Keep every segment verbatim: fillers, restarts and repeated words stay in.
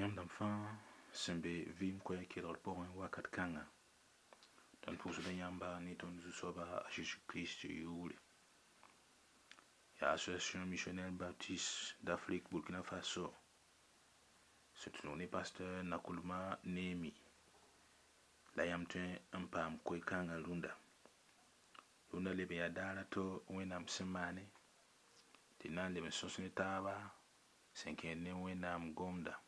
Yãmb dãmb fãa sẽn be vɩɩm koɛɛg kelgr pʋgẽ wakat kãnga tõnd pʋʋsda yãmba ne tõnd zu-soaba a Zeezi Kirist yʋʋre. Yaa Association Missionnaire Baptiste d'Afrique Burkina Faso sẽn tũ ne pasteur Nakulma Neemi la yãmb tõe n paam koe-kãngã rũndã. Rũndã leb n yaa daar a to Wẽnnaam sẽn maane tɩ d na n leb n sõs ne taaba sẽn kẽed ne Wẽnnaam gomda.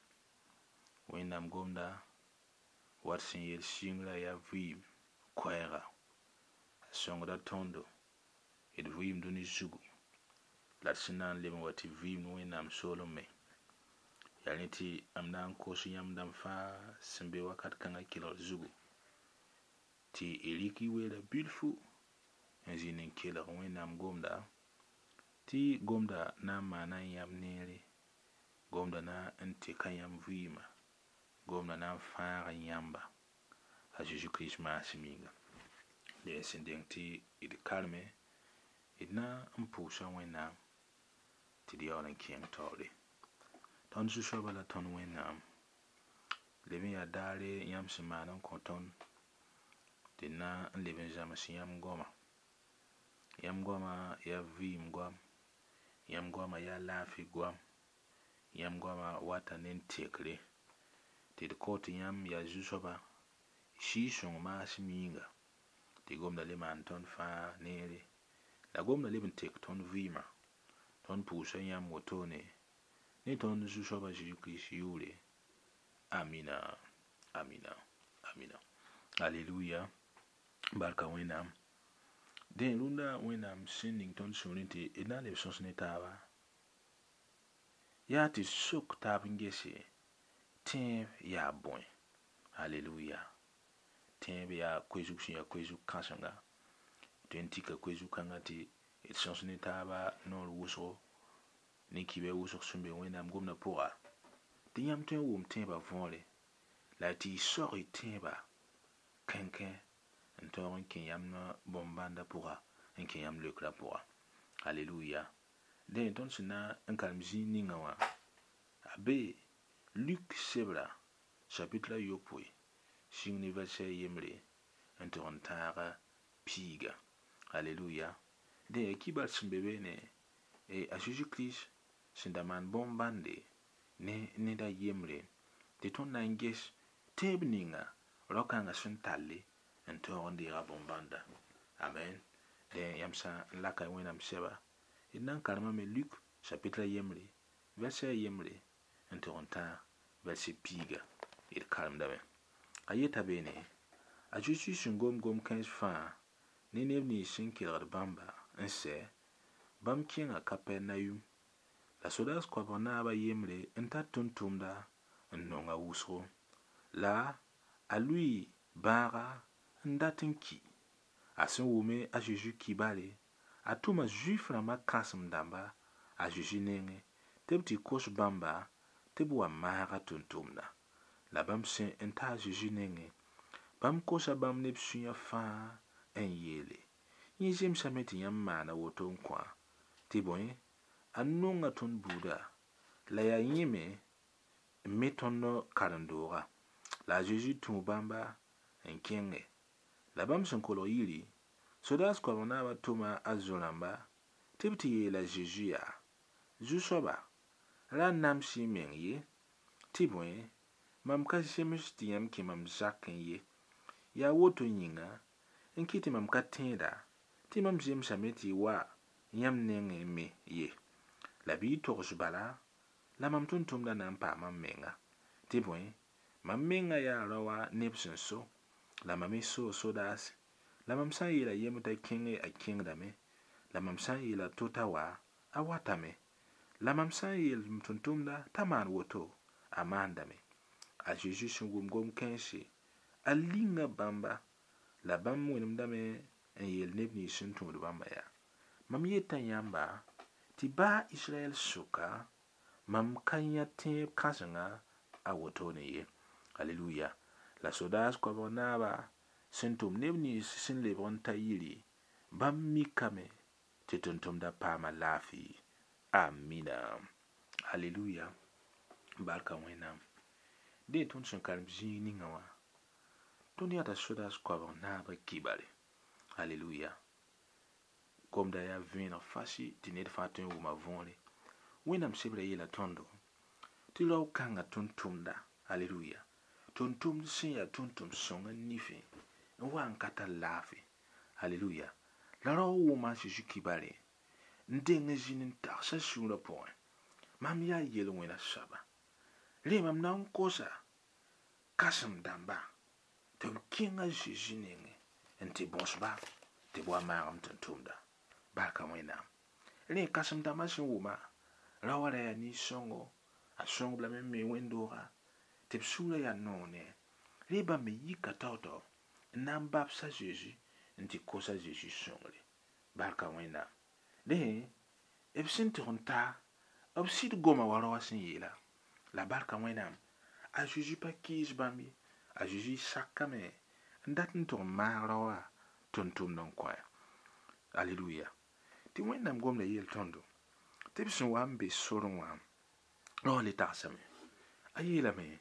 Wẽnnaam gomda wat sẽn yel sɩngrã yaa vɩɩm koɛɛga a sõngda tõndo d vɩɩm dũni zugu la d sẽn na n leb n wa tɩ vɩɩm ne Wẽnnaam soolem me. Yaa rẽ tɩ m na n kos yãmb dãmb fãa sẽn be wakat kãngã kelgr zugu tɩ y rɩk y weera bilfu n zĩnd n kelg Wẽnnaam gomda tɩ gomda na n maana yãmb neere, gomda na n teka yãmb vɩɩmã, gomda na n fãaga yãmba a Zeezi Kirist maasem yĩnga. Dẽ sẽn deng tɩ d karme d na n pʋʋsa Wẽnnaam tɩ d yaool n kẽng taoore. Tõnd Zu-soabã la tõnd Wẽnnaam leb n yaa daare yãmb sẽn maan n kõ tõnd tɩ d na n leb n zãms yãmb goama. Yãmb goamã yaa vɩɩm goam, yãmb goamã yaa laafɩ goam, yãmb goamã wata ne n tekre tɩ d kõt yãmb yaa Zu-soaba Sɩɩg-sõng maasem yĩnga tɩ gomda le maan tõnd fãa neere la gomda leb n tek tõnd vɩɩmã. Tõnd pʋʋsa yãmb wotone ne tõnd Zu-soaba Zeezi Kirist yʋʋre. Amina, amina, amina. Aleluya. Barka Wẽnnaam. Dẽ rũndã Wẽnnaam sẽn ning tõnd sũurẽ tɩ d na n leb sõs ne taaba yaa tɩ sok taab n gese tẽeb yaa bõe. Aleluya. Tẽeb yaa koe-zug sẽn yaa koe-zug kãsenga. Tõe n tika koe-zug kãngã tɩ d sõs ne taaba noor wʋsgo ne kibɛ wʋsg sẽn be Wẽnnaam gomdã pʋga tɩ yãmb tõe n wʋm tẽebã võore la tɩ y saoog y tẽebã kẽnkẽ n tõog n kẽ yãmb bõn-bãndã pʋga n kẽ yãmb leokrã pʋga. Aleluya. Dẽ tõnd sẽn na n karem zĩig ninga wã a be Luk sebra chapitre a yopoe sĩng ne verset yembre n tʋg n tãag piiga. Aleluya. Dẽ yaa kibar sẽn be beene a Zeezi Kirist sẽn da maan bõn-bãnde ne ned a yembre tɩ tõnd na n ges tẽeb ninga rao-kãngã sẽn talle n tõog n deega bõn-bãnda. Amen. Dẽ yãmb sã n laka Wẽnnaam sɛba d na n karemame Luk chapitre yembre verset yembre n tʋg n tãag verset piiga d karemdame. A yeta beene a Zeezi sẽn gom gom-kãens fãa ne neb nins sẽn kelgd bãmba n sɛ bãmb kẽnga Kapɛrnayum la sodaas koabg naaba yembre n tar tʋm-tʋmda n nonga wʋsgo la a lʋɩ bãaga n dat n ki. A sẽn wʋme a Zeezi kibare a tʋma Zuif rãmbã kãsem-dãmba a Zeezi nengẽ tɩ b tɩ kos bãmba tɩ b wa maag a tʋm-tʋmda. La bãmb sẽn n ta a Zeezi nengẽ bãmb kosa bãmb ne b sũyã fãa n yeele yẽ zemsame tɩ yãmb maana woto n kõ tɩ bõe a nonga tõnd buuda la yaa yẽ me n me tõnd karen-dooga. La a Zeezi tũu bãmba n kẽnge la bãmb sẽn kolg yiri sodaas koabg naabã tʋma a zo-rãmba tɩ b tɩ yeela Zeezi yaa Zu-soaba ra nams y meng ye tɩ bõe mam ka zems tɩ yãmb kẽ mam zakẽ ye yaa woto yĩnga n kɩt tɩ mam ka tẽeda tɩ mam zemsame tɩ y wa yãmb nengẽ me ye. La bɩ y togs bala la mam tʋm-tʋmdã na n paama m menga tɩ bõe mam menga yaa raoã neb sẽn so la mam me soo sodaase la mam sã n yeela yembr t'a kẽnge a kẽngdame la mam sã n yeela to t'a wa a watame la mam sã n yeel m tʋm-tʋmda t'a maan woto a maandame. A Zeezi sẽn wʋm gom-kãense a linga bãmba la bãmb wẽnemdame n yeel neb nins sẽn tũud bãmba yaa mam yeta yãmba tɩ baa Israɛl sʋka mam ka yã tẽeb kãsenga a wotone ye. Aleluya. La sodaas koabg naaba sẽn tʋm neb nins sẽn lebg n ta yiri bãmb mikame tɩ tʋm-tʋmda paama laafɩ. Amina. Aleluya. Barka Wẽnnaam. Dẽ tõnd sẽn karem zĩig ninga wã tõnd yãta sodaas koabg naabã kibare. Aleluya. Gomda yaa vẽeneg fasi tɩ ned fãa tõe n wʋma võore. Wẽnnaam sebra yeela tõndo tɩ rao-kãngã tʋm-tʋmda. Aleluya. Tʋm-tʋmd sẽn yaa tʋm-tʋm sõngã nifẽ n wa n ka tar laafɩ. Aleluya. La rao wʋma a Zeezi kibare n deng n zĩnd n tagsa sũurã pʋgẽ. Mam yaa yel-wẽna soaba. Rẽ mam na n kosa kãsem dãmba tɩ b kẽng a Zeezi nengẽ n tɩ bõs-ba tɩ b wa maag m tʋm-tʋmda. Barka Wẽnnaam. Rẽ kãsem dãmbã sẽn wʋma rao wã ra yaa nin-sõngo, a sõngb lame n me wẽnd-dooga tɩ b sũurã yaa noog ne. Rẽ bãmb me yika tao-tao n na n babs a Zeezi n tɩ kos a Zeezi sõngre. Barka Wẽnnaam. Rẽ b sẽn tʋg n ta b sɩd goma wa rao wã sẽn yeela. La barka Wẽnnaam a Zeezi pa kɩɩs bãmb ye. A Zeezi sakame n dat n tʋg n maag rao wã tʋm-tʋmd n kõ. Aleluya. Tɩ Wẽnnaam gomda yeel tõndo tɩ b sẽn wa n be sorẽ wã rao le tagsame. A yeelame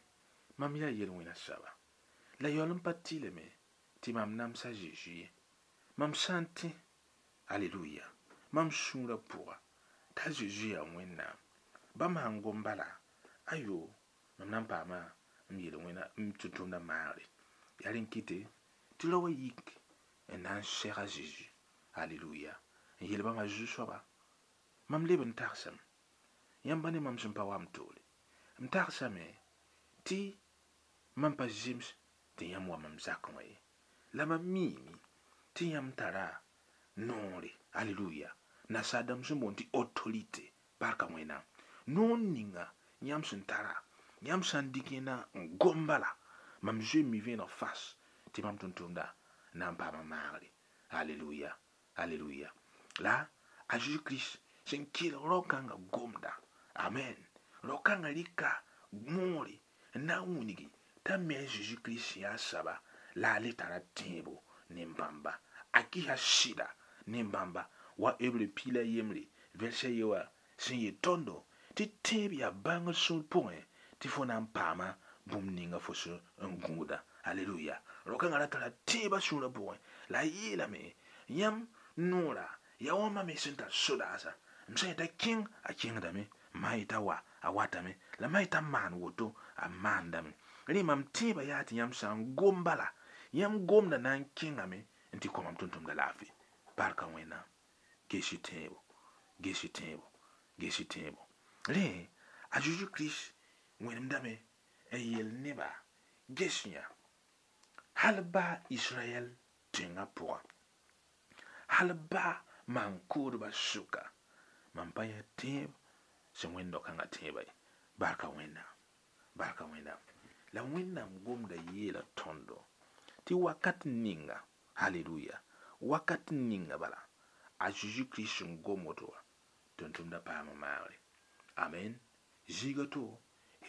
mam yaa yel-wẽna soaba. La yaool n pa tɩlame tɩ mam namsa Zeezi ye. Mam sã n tẽ, aleluya, mam sũurã pʋga t'a Zeezi yaa Wẽnnaam. Bãmb sãn gom bala, ayo, mam na n paama m yel-wẽna m tʋm-tʋmdã maagre. Yaa rẽn kɩte tɩ rao wã yik n na n seg a Zeezi. Aleluya. N yeel bãmb a zu-soaba, mam leb n tagsame. Yãmb ne mam sẽn pa wa m toore. M tagsame tɩ mam pa zems tɩ yãmb wa mam zakẽ wã ye. La mam miime tɩ yãmb tara noore. Aleluya. Nasaar-dãmb sẽn boond tɩ autorité. Barka Wẽnnaam. Noor ninga yãmb sẽn tara, yãmb sã n dɩk yẽna n gom bala, mam zoe n mi vẽeneg fas tɩ mam tʋm-tʋmda na n paama maagre. Aleluya. Aleluya. La a Zeezi Kirist sẽn kelg rao-kãngã gomda. Amen. Rao-kãngã rɩka moore n na n wilgi t'a me a Zeezi Kirist sẽn yaa soaba la a le tara tẽebo ne bãmba. A kɩsa sɩda ne bãmba wa Hebre piig la yembre vɛrsa ye wã sẽn yet tõndo tɩ tẽeb yaa bãngr sũur pʋgẽ tɩ fo na n paama bũmb ninga fo sẽn n gũuda. Aleluya. Rao-kãngã ra tara tẽebã sũurã pʋgẽ la a yeelame yãmb noora yaa wa mam me sẽn tar sodaasã. M sã n yeta kẽng a kẽngdame, m sã n yeta wa a watame, la m sã n yeta maan woto a maandame. Rẽ mam tẽebã yaa tɩ yãmb sã n gom bala, yãmb gomda na n kẽngame n tɩ kõ mam tʋm-tʋmda laafɩ. Barka Wẽnnaam. Ges-y tẽebo, ges-y tẽebo, ges-y tẽebo. Rẽ a Zeezi Kirist wẽnemdame n yeel nebã ges yã hal baa Israɛl tẽngã pʋgã, hal baa maan-kʋʋdbã sʋka, mam pa yã tẽeb sẽn wẽnd dao-kãngã tẽebã ye. Barka Wẽnnaam. Barka Wẽnnaam. La Wẽnnaam gomda yeela tõndo tɩ wakat ninga, aleluya, wakat ninga bala, a Zeezi Kirist sẽn gom woto wã, tʋm-tʋmdã paama maagre. Amen. Zĩiga to,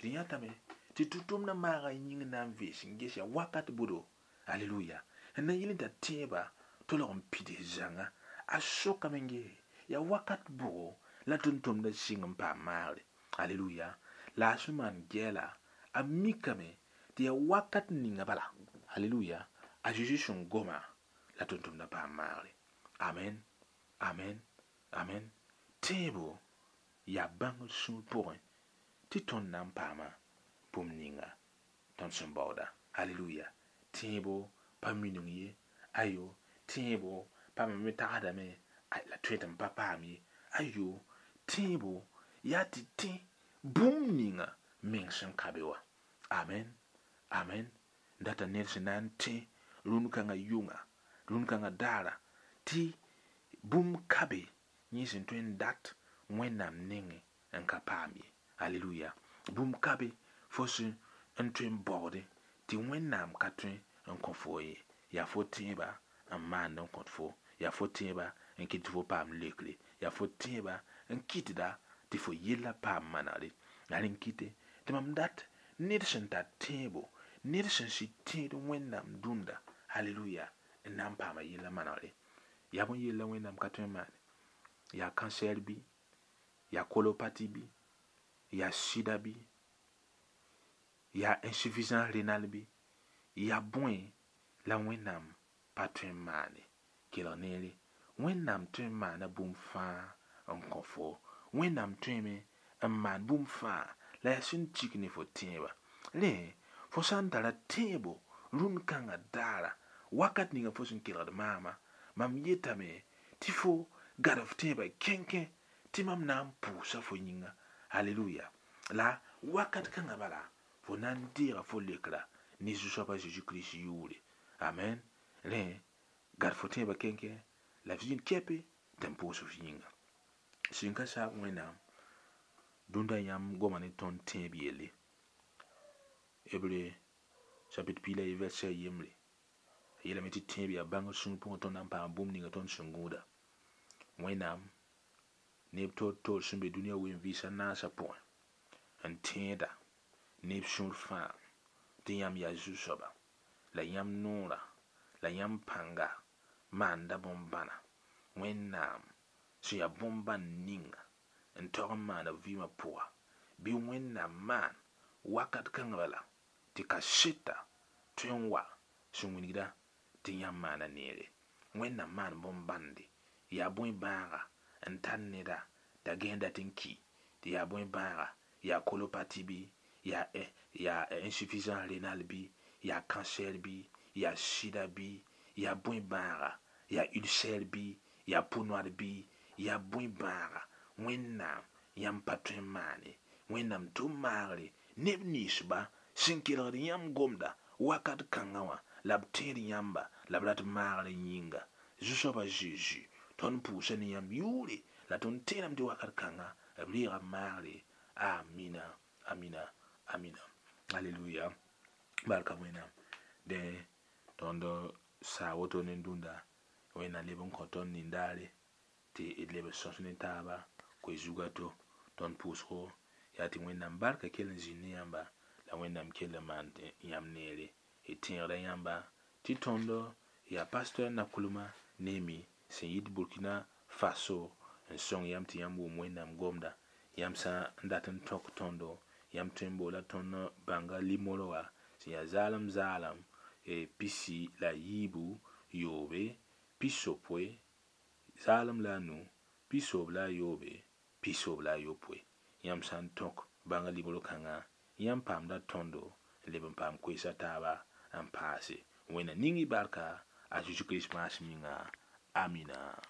d yãtame tɩ tʋm-tʋmdã maaga yĩng na n vees n ges yaa wakat budo. Aleluya. N na n yɩl n t'a tẽebã tolg n pids zãnga. A sokame n gese yaa wakat bʋgo la tʋm-tʋmdã sɩng n paam maagre. Aleluya. La a sẽn maan gɛɛla, a mikame tɩ yaa wakat ninga bala. Aleluya. A Zeezi sẽn goma la tʋm-tʋmdã paam maagre. Amen. Amen. Amen. Tẽebo yaa bãngr sũur pʋgẽ tɩ tõnd na n paama bũmb ninga tõnd sẽn baooda. Aleluya. Tẽebo pa minung ye. Ayo. Tẽebo pa me tagsdame la tõe tɩ m pa paam ye. Ayo. Tẽebo yaa tɩ tẽ bũmb ninga meng sẽn ka be wã. Amen. Amen. Data ned sẽn na n tẽ rũnd kãngã yʋnga, rũnd kãngã daara tɩ bũmb ka be yẽ sẽn tõe n dat Wẽnnaam nengẽ n ka paam ye. Aleluya. Bũmb ka be fo sẽn n tõe n baoode tɩ Wẽnnaam ka tõe n kõ fo ye. Yaa fo tẽebã n maand n kõt fo, yaa fo tẽebã n kɩt tɩ fo paam lekre, yaa fo tẽebã n kɩtda tɩ fo yella paam manegre. La rẽn kɩte tɩ mam dat ned sẽn tar tẽebo, ned sẽn sɩd tẽed Wẽnnaam dũnda, aleluya, n na n paama yella manegre. Yaa bõe yella Wẽnnaam ka tõe n maane? Yaa cancer bɩ, yaa kolopati bɩ, yaa sida bɩ, Yaa insuffisance rénale bɩ, yaa bõe la Wẽnnaam pa tõe n maane. Kelg neere, Wẽnnaam tõe n maana bũmb fãa n kõ fo. Wẽnnaam tõeme n maan bũmb fãa la yaa sẽn tik ne fo tẽebã. Rẽ, fo sã n tara tẽebo rũnd kãngã daara, wakat ninga fo sẽn kelgd maama, mam yetame tɩ fo gad f tẽebã kẽnkẽ tɩ mam na n pʋʋsa fo yĩnga. Aleluya. La wakat kãngã bala fo na n deega fo leokra ne Zu-soabã Zeezi Kirist yʋʋre. Amen. Rẽ, gad fo tẽebã kẽnkẽ la f zĩnd kɛpe tɩ n pʋʋs f yĩnga. Sẽn ka saag Wẽnnaam dũnda yãmb goma ne tõnd tẽeb yelle. Hébreu chapitre piig la yi verset yembre. A yeelame tɩ tẽeb yaa bãngr sũur pʋgẽ tõnd na n paam bũmb ninga tõnd sẽn gũuda. Wẽnnaam neb toor-toor sẽn be dũniyã wen-vɩɩsã naasã pʋgẽ n tẽeda neb sũur fãa tɩ yãmb yaa Zu-soaba la yãmb noorã la yãmb pãnga maanda bõn-bãna. Wẽnnaam sẽn yaa bõn-bãn ninga n tog n maana vɩɩmã pʋga bɩ Wẽnnaam maan wakat kãngã bala tɩ kaseta tõe n wa sẽn wilgda tɩ yãmb maana neere. Wẽnnaam maan bõn-bãnde yaa bõe bãaga n tar neda t'a gẽes dat n ki tɩ yaa bõe bãaga yaa colopathie bɩ yaa yaa insuffisance rénale bɩ yaa cancer bɩ yaa sida bɩ yaa bõe bãaga yaa ulcère bɩ yaa peau noire bɩ yaa bõe bãaga Wẽnnaam yãmb pa tõe n maane. Wẽnnaam tʋm maagre neb ninsba sẽn kelgd yãmb gomda wakat kãngã wã la b tẽed yãmba la b rat maagr yĩnga. Zu-soabã Zeezi tõnd pʋʋsa ne yãmb yʋʋre la tõnd tẽedame tɩ wakat kãngã b reega maagre. Amina, amina, amina. Aleluya. Barka Wẽnnaam. Dẽ tõnd saa woto ne dũnda Wẽnnaam leb n kõ tõnd nin-daare tɩ d leb n sõs ne taaba koe zugã to. Tõnd pʋʋsgo yaa tɩ Wẽnnaam barka kell n zĩnd ne yãmba la Wẽnnaam kell n maan yãmb neere. D tẽegda yãmba tɩ tõnd yaa pasteur Nakoulma Nemi sẽn yit Burkina Faso n sõng yãmb tɩ yãmb wʋm Wẽnnaam gomda. Yãmb sã n dat n tõk tõndo yãmb tõe n boola tõnd bãnga limoro wã sẽn yaa zaalem zaalem pisi la yiibu yoobe pisopoe zaalem la a nu pisoob la a yoobe pisoob la a yopoe. Yãmb sã n tõk bãnga limoro kãngã yãmb paamda tõndo n leb n paam koeesa taaba n paase. Wẽnnaam ning y barka a Zeezi Kirist maasem yĩnga. Amina.